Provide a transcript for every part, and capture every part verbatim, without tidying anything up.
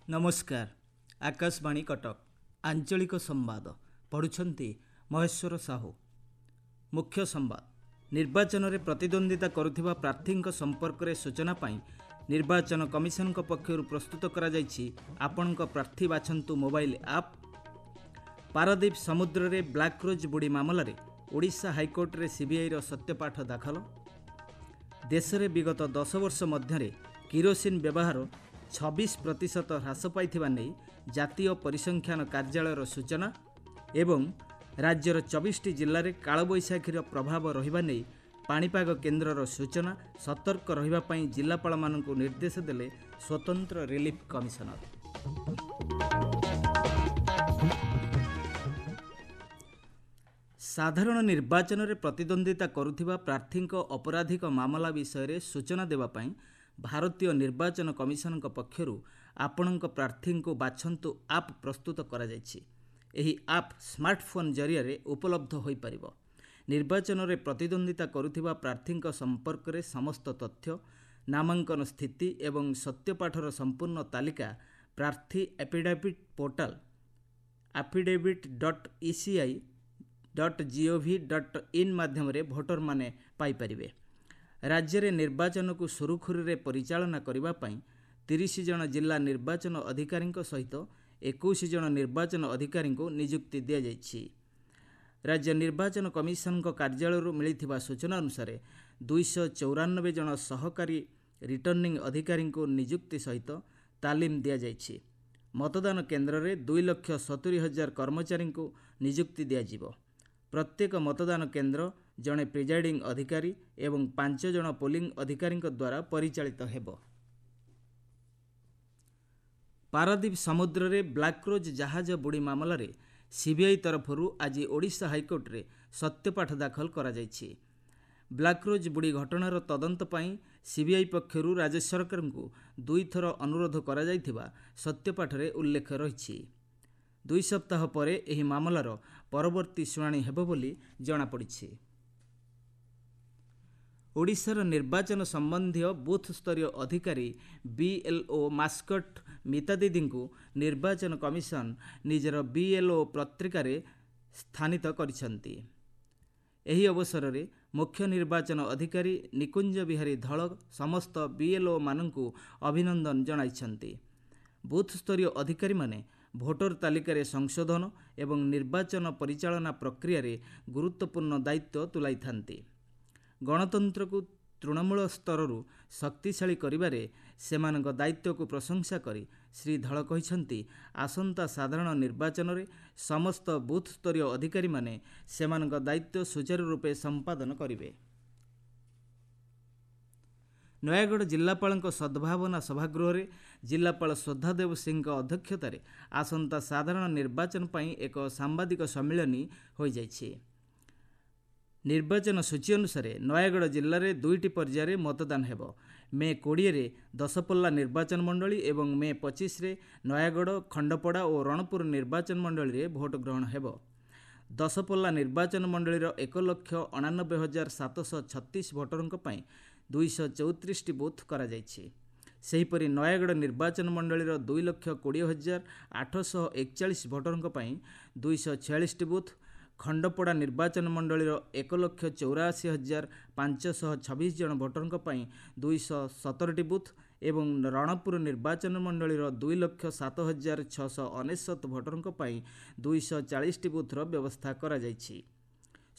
ନମସ୍କାର, ଆକାଶବାଣୀ କଟକ, ଆଞ୍ଚଳିକ ସମ୍ବାଦ ପଢ଼ୁଛନ୍ତି ମହେଶ୍ୱର ସାହୁ। ମୁଖ୍ୟ ସମ୍ବାଦ। ନିର୍ବାଚନରେ ପ୍ରତିଦ୍ୱନ୍ଦ୍ୱିତା କରୁଥିବା ପ୍ରାର୍ଥୀଙ୍କ ସମ୍ପର୍କରେ ସୂଚନା ପାଇଁ ନିର୍ବାଚନ କମିଶନଙ୍କ ପକ୍ଷରୁ ପ୍ରସ୍ତୁତ କରାଯାଇଛି ଆପଣଙ୍କ ପ୍ରାର୍ଥୀ ବାଛନ୍ତୁ ମୋବାଇଲ ଆପ୍। ପାରାଦୀପ ସମୁଦ୍ରରେ ବ୍ଲାକ୍ ରୋଜ୍ ବୁଡ଼ି ମାମଲାରେ ଓଡ଼ିଶା ହାଇକୋର୍ଟରେ ସିବିଆଇର ସତ୍ୟପାଠ ଦାଖଲ। ଦେଶରେ ବିଗତ ଦଶ ବର୍ଷ ମଧ୍ୟରେ କିରୋସିନ ବ୍ୟବହାର ଛବିଶ ପ୍ରତିଶତ ହ୍ରାସ ପାଇଥିବା ନେଇ ଜାତୀୟ ପରିସଂଖ୍ୟାନ କାର୍ଯ୍ୟାଳୟର ସୂଚନା ଏବଂ ରାଜ୍ୟର ଚବିଶଟି ଜିଲ୍ଲାରେ କାଳବୈଶାଖୀର ପ୍ରଭାବ ରହିବା ନେଇ ପାଣିପାଗ କେନ୍ଦ୍ରର ସୂଚନା। ସତର୍କ ରହିବା ପାଇଁ ଜିଲ୍ଲାପାଳମାନଙ୍କୁ ନିର୍ଦ୍ଦେଶ ଦେଲେ ସ୍ୱତନ୍ତ୍ର ରିଲିଫ୍ କମିଶନର। ସାଧାରଣ ନିର୍ବାଚନରେ ପ୍ରତିଦ୍ୱନ୍ଦ୍ୱିତା କରୁଥିବା ପ୍ରାର୍ଥୀଙ୍କ ଅପରାଧିକ ମାମଲା ବିଷୟରେ ସୂଚନା ଦେବା ପାଇଁ ଭାରତୀୟ ନିର୍ବାଚନ କମିଶନଙ୍କ ପକ୍ଷରୁ ଆପଣଙ୍କ ପ୍ରାର୍ଥୀଙ୍କୁ ବାଛନ୍ତୁ ଆପ୍ ପ୍ରସ୍ତୁତ କରାଯାଇଛି। ଏହି ଆପ୍ ସ୍ମାର୍ଟଫୋନ୍ ଜରିଆରେ ଉପଲବ୍ଧ ହୋଇପାରିବ। ନିର୍ବାଚନରେ ପ୍ରତିଦ୍ୱନ୍ଦ୍ୱିତା କରୁଥିବା ପ୍ରାର୍ଥୀଙ୍କ ସମ୍ପର୍କରେ ସମସ୍ତ ତଥ୍ୟ, ନାମାଙ୍କନ ସ୍ଥିତି ଏବଂ ସତ୍ୟପାଠର ସମ୍ପୂର୍ଣ୍ଣ ତାଲିକା ପ୍ରାର୍ଥୀ affidavit portal affidavit dot E C I dot G O V dot in ମାଧ୍ୟମରେ ଭୋଟରମାନେ ପାଇପାରିବେ। ରାଜ୍ୟରେ ନିର୍ବାଚନକୁ ସୁରୁଖୁରୁରେ ପରିଚାଳନା କରିବା ପାଇଁ ତିରିଶ ଜଣ ଜିଲ୍ଲା ନିର୍ବାଚନ ଅଧିକାରୀଙ୍କ ସହିତ ଏକୋଇଶ ଜଣ ନିର୍ବାଚନ ଅଧିକାରୀଙ୍କୁ ନିଯୁକ୍ତି ଦିଆଯାଇଛି। ରାଜ୍ୟ ନିର୍ବାଚନ କମିଶନଙ୍କ କାର୍ଯ୍ୟାଳୟରୁ ମିଳିଥିବା ସୂଚନା ଅନୁସାରେ ଦୁଇଶହ ଚଉରାନବେ ଜଣ ସହକାରୀ ରିଟର୍ଣ୍ଣିଂ ଅଧିକାରୀଙ୍କୁ ନିଯୁକ୍ତି ସହିତ ତାଲିମ ଦିଆଯାଇଛି। ମତଦାନ କେନ୍ଦ୍ରରେ ଦୁଇ ଲକ୍ଷ ସତୁରି ହଜାର କର୍ମଚାରୀଙ୍କୁ ନିଯୁକ୍ତି ଦିଆଯିବ। ପ୍ରତ୍ୟେକ ମତଦାନ କେନ୍ଦ୍ର ଜଣେ ପ୍ରିଜାଇଡିଂ ଅଧିକାରୀ ଏବଂ ପାଞ୍ଚ ଜଣ ପୋଲିଂ ଅଧିକାରୀଙ୍କ ଦ୍ୱାରା ପରିଚାଳିତ ହେବ। ପାରାଦୀପ ସମୁଦ୍ରରେ ବ୍ଲାକ୍ ରୋଜ୍ ଜାହାଜ ବୁଡ଼ି ମାମଲାରେ ସିବିଆଇ ତରଫରୁ ଆଜି ଓଡ଼ିଶା ହାଇକୋର୍ଟରେ ସତ୍ୟପାଠ ଦାଖଲ କରାଯାଇଛି। ବ୍ଲାକ୍ ରୋଜ୍ ବୁଡ଼ି ଘଟଣାର ତଦନ୍ତ ପାଇଁ ସିବିଆଇ ପକ୍ଷରୁ ରାଜ୍ୟ ସରକାରଙ୍କୁ ଦୁଇଥର ଅନୁରୋଧ କରାଯାଇଥିବା ସତ୍ୟପାଠରେ ଉଲ୍ଲେଖ ରହିଛି। ଦୁଇ ସପ୍ତାହ ପରେ ଏହି ମାମଲାର ପରବର୍ତ୍ତୀ ଶୁଣାଣି ହେବ ବୋଲି ଜଣାପଡ଼ିଛି। ଓଡ଼ିଶାର ନିର୍ବାଚନ ସମ୍ବନ୍ଧୀୟ ବୁଥ୍ ସ୍ତରୀୟ ଅଧିକାରୀ ବିଏଲ୍ଓ ମାସ୍କଟ ମିତା ଦିଦିଙ୍କୁ ନିର୍ବାଚନ କମିଶନ ନିଜର ବିଏଲ୍ଓ ପତ୍ରିକାରେ ସ୍ଥାନିତ କରିଛନ୍ତି। ଏହି ଅବସରରେ ମୁଖ୍ୟ ନିର୍ବାଚନ ଅଧିକାରୀ ନିକୁଞ୍ଜ ବିହାରୀ ଧଳ ସମସ୍ତ ବିଏଲ୍ଓମାନଙ୍କୁ ଅଭିନନ୍ଦନ ଜଣାଇଛନ୍ତି। ବୁଥ୍ ସ୍ତରୀୟ ଅଧିକାରୀମାନେ ଭୋଟର ତାଲିକାରେ ସଂଶୋଧନ ଏବଂ ନିର୍ବାଚନ ପରିଚାଳନା ପ୍ରକ୍ରିୟାରେ ଗୁରୁତ୍ୱପୂର୍ଣ୍ଣ ଦାୟିତ୍ୱ ତୁଲାଇଥାନ୍ତି। ଗଣତନ୍ତ୍ରକୁ ତୃଣମୂଳ ସ୍ତରରୁ ଶକ୍ତିଶାଳୀ କରିବାରେ ସେମାନଙ୍କ ଦାୟିତ୍ୱକୁ ପ୍ରଶଂସା କରି ଶ୍ରୀ ଧଳ କହିଛନ୍ତି, ଆସନ୍ତା ସାଧାରଣ ନିର୍ବାଚନରେ ସମସ୍ତ ବୁଥ୍ ସ୍ତରୀୟ ଅଧିକାରୀମାନେ ସେମାନଙ୍କ ଦାୟିତ୍ୱ ସୁଚାରୁ ରୂପେ ସମ୍ପାଦନ କରିବେ। ନୟାଗଡ଼ ଜିଲ୍ଲାପାଳଙ୍କ ସଦ୍ଭାବନା ସଭାଗୃହରେ ଜିଲ୍ଲାପାଳ ଶ୍ରଦ୍ଧାଦେବ ସିଂଙ୍କ ଅଧ୍ୟକ୍ଷତାରେ ଆସନ୍ତା ସାଧାରଣ ନିର୍ବାଚନ ପାଇଁ ଏକ ସାମ୍ବାଦିକ ସମ୍ମିଳନୀ ହୋଇଯାଇଛି। ନିର୍ବାଚନ ସୂଚୀ ଅନୁସାରେ ନୟାଗଡ଼ ଜିଲ୍ଲାରେ ଦୁଇଟି ପର୍ଯ୍ୟାୟରେ ମତଦାନ ହେବ। ମେ କୋଡ଼ିଏରେ ଦଶପଲ୍ଲା ନିର୍ବାଚନ ମଣ୍ଡଳୀ ଏବଂ ମେ ପଚିଶରେ ନୟାଗଡ଼, ଖଣ୍ଡପଡ଼ା ଓ ରଣପୁର ନିର୍ବାଚନ ମଣ୍ଡଳୀରେ ଭୋଟ ଗ୍ରହଣ ହେବ। ଦଶପଲ୍ଲା ନିର୍ବାଚନ ମଣ୍ଡଳୀର ଏକ ଲକ୍ଷ ଅଣାନବେ ହଜାର ସାତଶହ ଛତିଶ ଭୋଟରଙ୍କ ପାଇଁ ଦୁଇଶହ ଚଉତିରିଶଟି ବୁଥ୍ କରାଯାଇଛି। ସେହିପରି ନୟାଗଡ଼ ନିର୍ବାଚନ ମଣ୍ଡଳୀର ଦୁଇ ଲକ୍ଷ କୋଡ଼ିଏ ହଜାର ଆଠଶହ ଏକଚାଳିଶ ଭୋଟରଙ୍କ ପାଇଁ ଦୁଇଶହ ଛୟାଳିଶଟି ବୁଥ୍, ଖଣ୍ଡପଡ଼ା ନିର୍ବାଚନ ମଣ୍ଡଳୀର ଏକ ଲକ୍ଷ ଚଉରାଅଶୀ ହଜାର ପାଞ୍ଚଶହ ଛବିଶ ଜଣ ଭୋଟରଙ୍କ ପାଇଁ ଦୁଇଶହ ସତରଟି ବୁଥ୍ ଏବଂ ରଣପୁର ନିର୍ବାଚନ ମଣ୍ଡଳୀର ଦୁଇ ଲକ୍ଷ ସାତ ହଜାର ଛଅଶହ ଅନେଶତ ଭୋଟରଙ୍କ ପାଇଁ ଦୁଇଶହ ଚାଳିଶଟି ବୁଥ୍ର ବ୍ୟବସ୍ଥା କରାଯାଇଛି।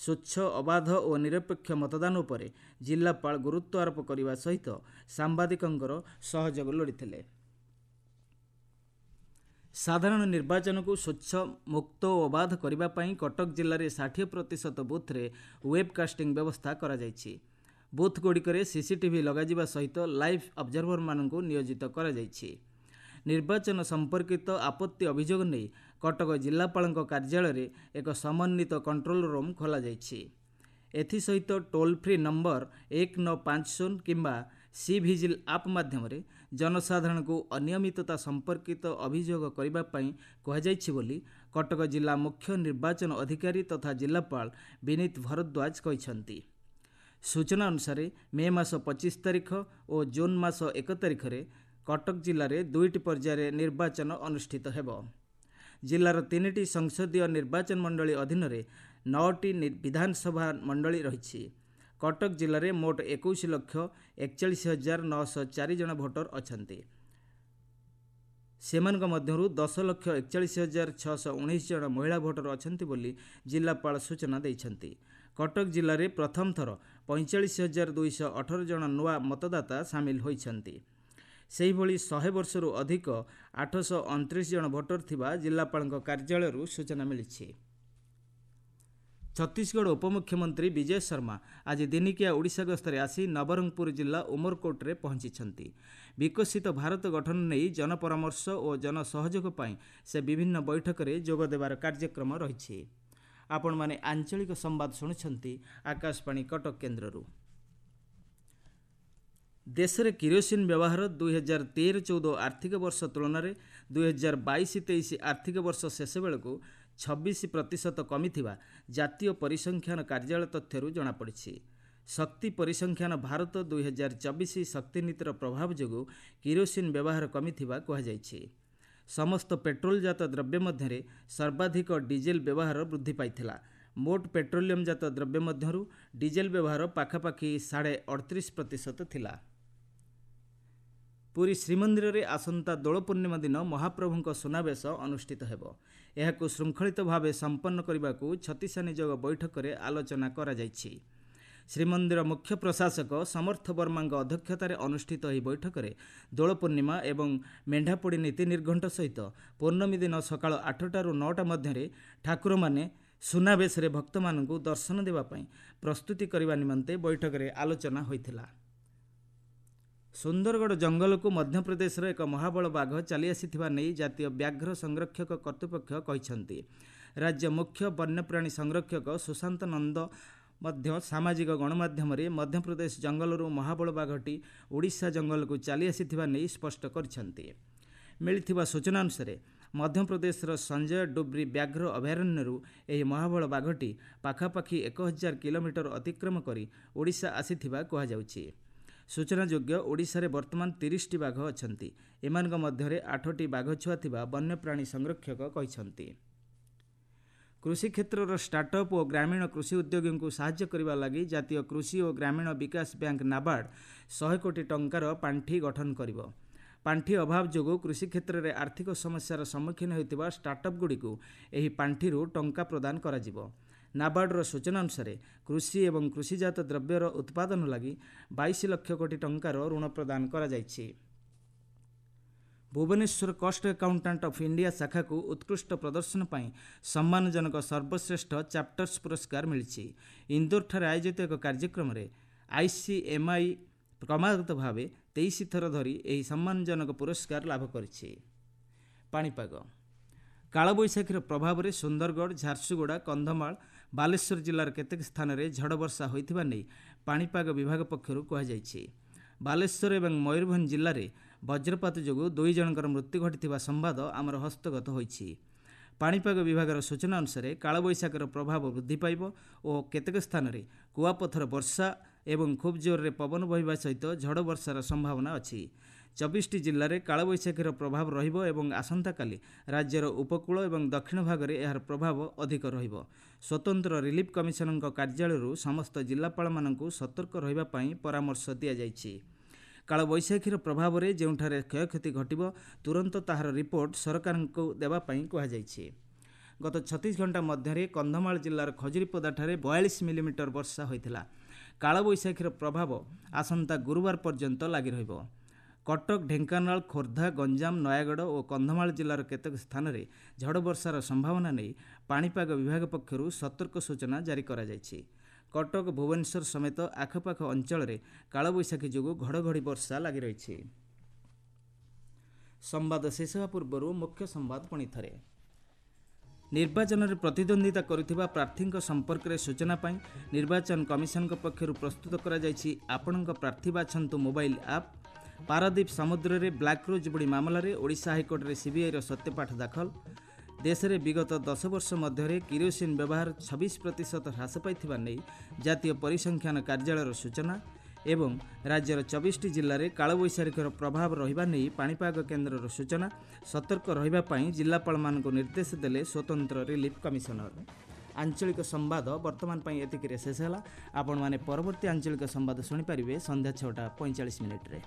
ସ୍ୱଚ୍ଛ, ଅବାଧ ଓ ନିରପେକ୍ଷ ମତଦାନ ଉପରେ ଜିଲ୍ଲାପାଳ ଗୁରୁତ୍ୱ ଆରୋପ କରିବା ସହିତ ସାମ୍ବାଦିକଙ୍କର ସହଯୋଗ ଲୋଡ଼ିଥିଲେ। ସାଧାରଣ ନିର୍ବାଚନକୁ ସ୍ୱଚ୍ଛ, ମୁକ୍ତ ଓ ଅବାଧ କରିବା ପାଇଁ କଟକ ଜିଲ୍ଲାରେ ଷାଠିଏ ପ୍ରତିଶତ ବୁଥ୍ରେ ୱେବ୍ କାଷ୍ଟିଂ ବ୍ୟବସ୍ଥା କରାଯାଇଛି। ବୁଥ୍ଗୁଡ଼ିକରେ ସିସିଟିଭି ଲଗାଯିବା ସହିତ ଲାଇଭ୍ ଅବଜର୍ଭରମାନଙ୍କୁ ନିୟୋଜିତ କରାଯାଇଛି। ନିର୍ବାଚନ ସମ୍ପର୍କିତ ଆପତ୍ତି ଅଭିଯୋଗ ନେଇ କଟକ ଜିଲ୍ଲାପାଳଙ୍କ କାର୍ଯ୍ୟାଳୟରେ ଏକ ସମନ୍ୱିତ କଣ୍ଟ୍ରୋଲ ରୁମ୍ ଖୋଲାଯାଇଛି। ଏଥିସହିତ ଟୋଲ୍ ଫ୍ରି ନମ୍ବର ଏକ ନଅ ପାଞ୍ଚ ଶୂନ କିମ୍ବା ସି ଭିଜିଲ୍ ଆପ୍ ମାଧ୍ୟମରେ ଜନସାଧାରଣଙ୍କୁ ଅନିୟମିତତା ସମ୍ପର୍କିତ ଅଭିଯୋଗ କରିବା ପାଇଁ କୁହାଯାଇଛି ବୋଲି କଟକ ଜିଲ୍ଲା ମୁଖ୍ୟ ନିର୍ବାଚନ ଅଧିକାରୀ ତଥା ଜିଲ୍ଲାପାଳ ବିନୀତ ଭରଦ୍ୱାଜ କହିଛନ୍ତି। ସୂଚନା ଅନୁସାରେ ମେ ମାସ ପଚିଶ ତାରିଖ ଓ ଜୁନ୍ ମାସ ଏକ ତାରିଖରେ କଟକ ଜିଲ୍ଲାରେ ଦୁଇଟି ପର୍ଯ୍ୟାୟରେ ନିର୍ବାଚନ ଅନୁଷ୍ଠିତ ହେବ। ଜିଲ୍ଲାର ତିନିଟି ସଂସଦୀୟ ନିର୍ବାଚନ ମଣ୍ଡଳୀ ଅଧୀନରେ ନଅଟି ବିଧାନସଭା ମଣ୍ଡଳୀ ରହିଛି। କଟକ ଜିଲ୍ଲାରେ ମୋଟ ଏକୋଇଶ ଲକ୍ଷ ଏକଚାଳିଶ ହଜାର ନଅଶହ ଚାରି ଜଣ ଭୋଟର ଅଛନ୍ତି। ସେମାନଙ୍କ ମଧ୍ୟରୁ ଦଶ ଲକ୍ଷ ଏକଚାଳିଶ ହଜାର ଛଅଶହ ଉଣେଇଶ ଜଣ ମହିଳା ଭୋଟର ଅଛନ୍ତି ବୋଲି ଜିଲ୍ଲାପାଳ ସୂଚନା ଦେଇଛନ୍ତି। କଟକ ଜିଲ୍ଲାରେ ପ୍ରଥମ ଥର ପଇଁଚାଳିଶ ହଜାର ଦୁଇଶହ ଅଠର ଜଣ ନୂଆ ମତଦାତା ସାମିଲ ହୋଇଛନ୍ତି। ସେହିଭଳି ଶହେ ବର୍ଷରୁ ଅଧିକ ଆଠଶହ ଅଣତିରିଶ ଜଣ ଭୋଟର ଥିବା ଜିଲ୍ଲାପାଳଙ୍କ କାର୍ଯ୍ୟାଳୟରୁ ସୂଚନା ମିଳିଛି। ଛତିଶଗଡ଼ ଉପମୁଖ୍ୟମନ୍ତ୍ରୀ ବିଜୟ ଶର୍ମା ଆଜି ଦିନିକିଆ ଓଡ଼ିଶା ଗସ୍ତରେ ଆସି ନବରଙ୍ଗପୁର ଜିଲ୍ଲା ଉମରକୋଟରେ ପହଞ୍ଚିଛନ୍ତି। ବିକଶିତ ଭାରତ ଗଠନ ନେଇ ଜନପରାମର୍ଶ ଓ ଜନସହଯୋଗ ପାଇଁ ସେ ବିଭିନ୍ନ ବୈଠକରେ ଯୋଗ ଦେବାର କାର୍ଯ୍ୟକ୍ରମ ରହିଛି। ଆପଣମାନେ ଆଞ୍ଚଳିକ ସମ୍ବାଦ ଶୁଣୁଛନ୍ତି ଆକାଶବାଣୀ କଟକ କେନ୍ଦ୍ରରୁ। ଦେଶରେ କିରୋସିନ ବ୍ୟବହାର ଦୁଇ ହଜାର ତେର ଚଉଦ ଆର୍ଥିକ ବର୍ଷ ତୁଳନାରେ ଦୁଇ ହଜାର ବାଇଶ ତେଇଶ ଆର୍ଥିକ ବର୍ଷ ଶେଷ ବେଳକୁ ଛବିଶ ପ୍ରତିଶତ କମିଥିବା ଜାତୀୟ ପରିସଂଖ୍ୟାନ କାର୍ଯ୍ୟାଳୟ ତଥ୍ୟରୁ ଜଣାପଡ଼ିଛି। ଶକ୍ତି ପରିସଂଖ୍ୟାନ ଭାରତ ଦୁଇ ହଜାର ଚବିଶ ଶକ୍ତି ନୀତିର ପ୍ରଭାବ ଯୋଗୁଁ କିରୋସିନ ବ୍ୟବହାର କମିଥିବା କୁହାଯାଇଛି। ସମସ୍ତ ପେଟ୍ରୋଲଜାତ ଦ୍ରବ୍ୟ ମଧ୍ୟରେ ସର୍ବାଧିକ ଡିଜେଲ ବ୍ୟବହାର ବୃଦ୍ଧି ପାଇଥିଲା। ମୋଟ ପେଟ୍ରୋଲିୟମ ଜାତ ଦ୍ରବ୍ୟ ମଧ୍ୟରୁ ଡିଜେଲ ବ୍ୟବହାର ପାଖାପାଖି ସାଢ଼େ ଅଠତିରିଶ ପ୍ରତିଶତ ଥିଲା। ପୁରୀ ଶ୍ରୀମନ୍ଦିରରେ ଆସନ୍ତା ଦୋଳ ପୂର୍ଣ୍ଣିମା ଦିନ ମହାପ୍ରଭୁଙ୍କ ସୁନାବେଶ ଅନୁଷ୍ଠିତ ହେବ। ଏହାକୁ ଶୃଙ୍ଖଳିତ ଭାବେ ସମ୍ପନ୍ନ କରିବାକୁ ଛତିଶା ନିଯୋଗ ବୈଠକରେ ଆଲୋଚନା କରାଯାଇଛି। ଶ୍ରୀମନ୍ଦିର ମୁଖ୍ୟ ପ୍ରଶାସକ ସମର୍ଥ ବର୍ମାଙ୍କ ଅଧ୍ୟକ୍ଷତାରେ ଅନୁଷ୍ଠିତ ଏହି ବୈଠକରେ ଦୋଳ ପୂର୍ଣ୍ଣିମା ଏବଂ ମେଣ୍ଢାପୋଡ଼ି ନୀତି ନିର୍ଘଣ୍ଟ ସହିତ ପୂର୍ଣ୍ଣମୀ ଦିନ ସକାଳ ଆଠଟାରୁ ନଅଟା ମଧ୍ୟରେ ଠାକୁରମାନେ ସୁନାବେଶରେ ଭକ୍ତମାନଙ୍କୁ ଦର୍ଶନ ଦେବା ପାଇଁ ପ୍ରସ୍ତୁତି କରିବା ନିମନ୍ତେ ବୈଠକରେ ଆଲୋଚନା ହୋଇଥିଲା। ସୁନ୍ଦରଗଡ଼ ଜଙ୍ଗଲକୁ ମଧ୍ୟପ୍ରଦେଶର ଏକ ମହାବଳ ବାଘ ଚାଲିଆସିଥିବା ନେଇ ଜାତୀୟ ବ୍ୟାଘ୍ର ସଂରକ୍ଷକ କର୍ତ୍ତୃପକ୍ଷ କହିଛନ୍ତି। ରାଜ୍ୟ ମୁଖ୍ୟ ବନ୍ୟପ୍ରାଣୀ ସଂରକ୍ଷକ ସୁଶାନ୍ତ ନନ୍ଦ ମଧ୍ୟ ସାମାଜିକ ଗଣମାଧ୍ୟମରେ ମଧ୍ୟପ୍ରଦେଶ ଜଙ୍ଗଲରୁ ମହାବଳ ବାଘଟି ଓଡ଼ିଶା ଜଙ୍ଗଲକୁ ଚାଲିଆସିଥିବା ନେଇ ସ୍ପଷ୍ଟ କରିଛନ୍ତି। ମିଳିଥିବା ସୂଚନା ଅନୁସାରେ ମଧ୍ୟପ୍ରଦେଶର ସଞ୍ଜୟ ଡୁବ୍ରି ବ୍ୟାଘ୍ର ଅଭୟାରଣ୍ୟରୁ ଏହି ମହାବଳ ବାଘଟି ପାଖାପାଖି ଏକ ହଜାର କିଲୋମିଟର ଅତିକ୍ରମ କରି ଓଡ଼ିଶା ଆସିଥିବା କୁହାଯାଉଛି। ସୂଚନାଯୋଗ୍ୟ, ଓଡ଼ିଶାରେ ବର୍ତ୍ତମାନ ତିରିଶଟି ବାଘ ଅଛନ୍ତି। ଏମାନଙ୍କ ମଧ୍ୟରେ ଆଠଟି ବାଘ ଛୁଆ ଥିବା ବନ୍ୟପ୍ରାଣୀ ସଂରକ୍ଷକ କହିଛନ୍ତି। କୃଷି କ୍ଷେତ୍ରର ଷ୍ଟାର୍ଟଅପ୍ ଓ ଗ୍ରାମୀଣ କୃଷି ଉଦ୍ୟୋଗୀଙ୍କୁ ସାହାଯ୍ୟ କରିବା ଲାଗି ଜାତୀୟ କୃଷି ଓ ଗ୍ରାମୀଣ ବିକାଶ ବ୍ୟାଙ୍କ ନାବାର୍ଡ଼ ଶହେ କୋଟି ଟଙ୍କାର ପାଣ୍ଠି ଗଠନ କରିବ। ପାଣ୍ଠି ଅଭାବ ଯୋଗୁଁ କୃଷି କ୍ଷେତ୍ରରେ ଆର୍ଥିକ ସମସ୍ୟାର ସମ୍ମୁଖୀନ ହେଉଥିବା ଷ୍ଟାର୍ଟଅପ୍ଗୁଡ଼ିକୁ ଏହି ପାଣ୍ଠିରୁ ଟଙ୍କା ପ୍ରଦାନ କରାଯିବ। ନାବାର୍ଡ଼ର ସୂଚନା ଅନୁସାରେ କୃଷି ଏବଂ କୃଷିଜାତ ଦ୍ରବ୍ୟର ଉତ୍ପାଦନ ଲାଗି ବାଇଶ ଲକ୍ଷ କୋଟି ଟଙ୍କାର ଋଣ ପ୍ରଦାନ କରାଯାଇଛି। Bhubaneswar cost accountant of India ଶାଖାକୁ ଉତ୍କୃଷ୍ଟ ପ୍ରଦର୍ଶନ ପାଇଁ ସମ୍ମାନଜନକ ସର୍ବଶ୍ରେଷ୍ଠ ଚାପ୍ଟର୍ସ ପୁରସ୍କାର ମିଳିଛି। ଇନ୍ଦୋରଠାରେ ଆୟୋଜିତ ଏକ କାର୍ଯ୍ୟକ୍ରମରେ ଆଇସିଏମ୍ଆଇ କ୍ରମାଗତ ଭାବେ ତେଇଶ ଥର ଧରି ଏହି ସମ୍ମାନଜନକ ପୁରସ୍କାର ଲାଭ କରିଛି। ପାଣିପାଗ କାଳବୈଶାଖୀର ପ୍ରଭାବରେ ସୁନ୍ଦରଗଡ଼, ଝାରସୁଗୁଡ଼ା, କନ୍ଧମାଳ, ବାଲେଶ୍ୱର ଜିଲ୍ଲାର କେତେକ ସ୍ଥାନରେ ଝଡ଼ ବର୍ଷା ହୋଇଥିବା ନେଇ ପାଣିପାଗ ବିଭାଗ ପକ୍ଷରୁ କୁହାଯାଇଛି। ବାଲେଶ୍ୱର ଏବଂ ମୟୂରଭଞ୍ଜ ଜିଲ୍ଲାରେ ବଜ୍ରପାତ ଯୋଗୁଁ ଦୁଇ ଜଣଙ୍କର ମୃତ୍ୟୁ ଘଟିଥିବା ସମ୍ବାଦ ଆମର ହସ୍ତଗତ ହୋଇଛି। ପାଣିପାଗ ବିଭାଗର ସୂଚନା ଅନୁସାରେ କାଳବୈଶାଖୀର ପ୍ରଭାବ ବୃଦ୍ଧି ପାଇବ ଓ କେତେକ ସ୍ଥାନରେ କୁଆପଥର ବର୍ଷା ଏବଂ ଖୁବ୍ ଜୋରରେ ପବନ ବହିବା ସହିତ ଝଡ଼ ବର୍ଷାର ସମ୍ଭାବନା ଅଛି। ଚବିଶଟି ଜିଲ୍ଲାରେ କାଳବୈଶାଖୀର ପ୍ରଭାବ ରହିବ ଏବଂ ଆସନ୍ତାକାଲି ରାଜ୍ୟର ଉପକୂଳ ଏବଂ ଦକ୍ଷିଣ ଭାଗରେ ଏହାର ପ୍ରଭାବ ଅଧିକ ରହିବ। ସ୍ୱତନ୍ତ୍ର ରିଲିଫ୍ କମିଶନଙ୍କ କାର୍ଯ୍ୟାଳୟରୁ ସମସ୍ତ ଜିଲ୍ଲାପାଳମାନଙ୍କୁ ସତର୍କ ରହିବା ପାଇଁ ପରାମର୍ଶ ଦିଆଯାଇଛି। କାଳବୈଶାଖୀର ପ୍ରଭାବରେ ଯେଉଁଠାରେ କ୍ଷୟକ୍ଷତି ଘଟିବ ତୁରନ୍ତ ତାହାର ରିପୋର୍ଟ ସରକାରଙ୍କୁ ଦେବା ପାଇଁ କୁହାଯାଇଛି। ଗତ ଛତିଶ ଘଣ୍ଟା ମଧ୍ୟରେ କନ୍ଧମାଳ ଜିଲ୍ଲାର ଖଜୁରୀପଦାଠାରେ ବୟାଳିଶ ମିଲିମିଟର ବର୍ଷା ହୋଇଥିଲା। କାଳବୈଶାଖୀର ପ୍ରଭାବ ଆସନ୍ତା ଗୁରୁବାର ପର୍ଯ୍ୟନ୍ତ ଲାଗି ରହିବ। କଟକ, ଢେଙ୍କାନାଳ, ଖୋର୍ଦ୍ଧା, ଗଞ୍ଜାମ, ନୟାଗଡ଼ ଓ କନ୍ଧମାଳ ଜିଲ୍ଲାର କେତେକ ସ୍ଥାନରେ ଝଡ଼ ବର୍ଷାର ସମ୍ଭାବନା ନେଇ ପାଣିପାଗ ବିଭାଗ ପକ୍ଷରୁ ସତର୍କ ସୂଚନା ଜାରି କରାଯାଇଛି। କଟକ, ଭୁବନେଶ୍ୱର ସମେତ ଆଖପାଖ ଅଞ୍ଚଳରେ କାଳବୈଶାଖୀ ଯୋଗୁଁ ଘଡ଼ଘଡ଼ି ବର୍ଷା ଲାଗି ରହିଛି। ସମ୍ବାଦ ଶେଷ ହେବା ପୂର୍ବରୁ ମୁଖ୍ୟ ସମ୍ବାଦ ପୁଣି ଥରେ। ନିର୍ବାଚନରେ ପ୍ରତିଦ୍ୱନ୍ଦ୍ୱିତା କରୁଥିବା ପ୍ରାର୍ଥୀଙ୍କ ସମ୍ପର୍କରେ ସୂଚନା ପାଇଁ ନିର୍ବାଚନ କମିଶନଙ୍କ ପକ୍ଷରୁ ପ୍ରସ୍ତୁତ କରାଯାଇଛି ଆପଣଙ୍କ ପ୍ରାର୍ଥୀ ବାଛନ୍ତୁ ମୋବାଇଲ ଆପ୍। ପାରାଦୀପ ସମୁଦ୍ରରେ ବ୍ଲାକ୍ ରୋଜ୍ ବୁଡ଼ି ମାମଲାରେ ଓଡ଼ିଶା ହାଇକୋର୍ଟରେ ସିବିଆଇର ସତ୍ୟପାଠ ଦାଖଲ। ଦେଶରେ ବିଗତ ଦଶ ବର୍ଷ ମଧ୍ୟରେ କିରୋସିନ ବ୍ୟବହାର ଛବିଶ ପ୍ରତିଶତ ହ୍ରାସ ପାଇଥିବା ନେଇ ଜାତୀୟ ପରିସଂଖ୍ୟାନ କାର୍ଯ୍ୟାଳୟର ସୂଚନା। ଏବଂ ରାଜ୍ୟର ଚବିଶଟି ଜିଲ୍ଲାରେ କାଳବୈଶାଖୀର ପ୍ରଭାବ ରହିବା ନେଇ ପାଣିପାଗ କେନ୍ଦ୍ରର ସୂଚନା। ସତର୍କ ରହିବା ପାଇଁ ଜିଲ୍ଲାପାଳମାନଙ୍କୁ ନିର୍ଦ୍ଦେଶ ଦେଲେ ସ୍ୱତନ୍ତ୍ର ରିଲିଫ୍ କମିଶନର। ଆଞ୍ଚଳିକ ସମ୍ବାଦ ବର୍ତ୍ତମାନ ପାଇଁ ଏତିକିରେ ଶେଷ ହେଲା। ଆପଣମାନେ ପରବର୍ତ୍ତୀ ଆଞ୍ଚଳିକ ସମ୍ବାଦ ଶୁଣିପାରିବେ ସନ୍ଧ୍ୟା ଛଅଟା ପଇଁଚାଳିଶ ମିନିଟ୍ରେ।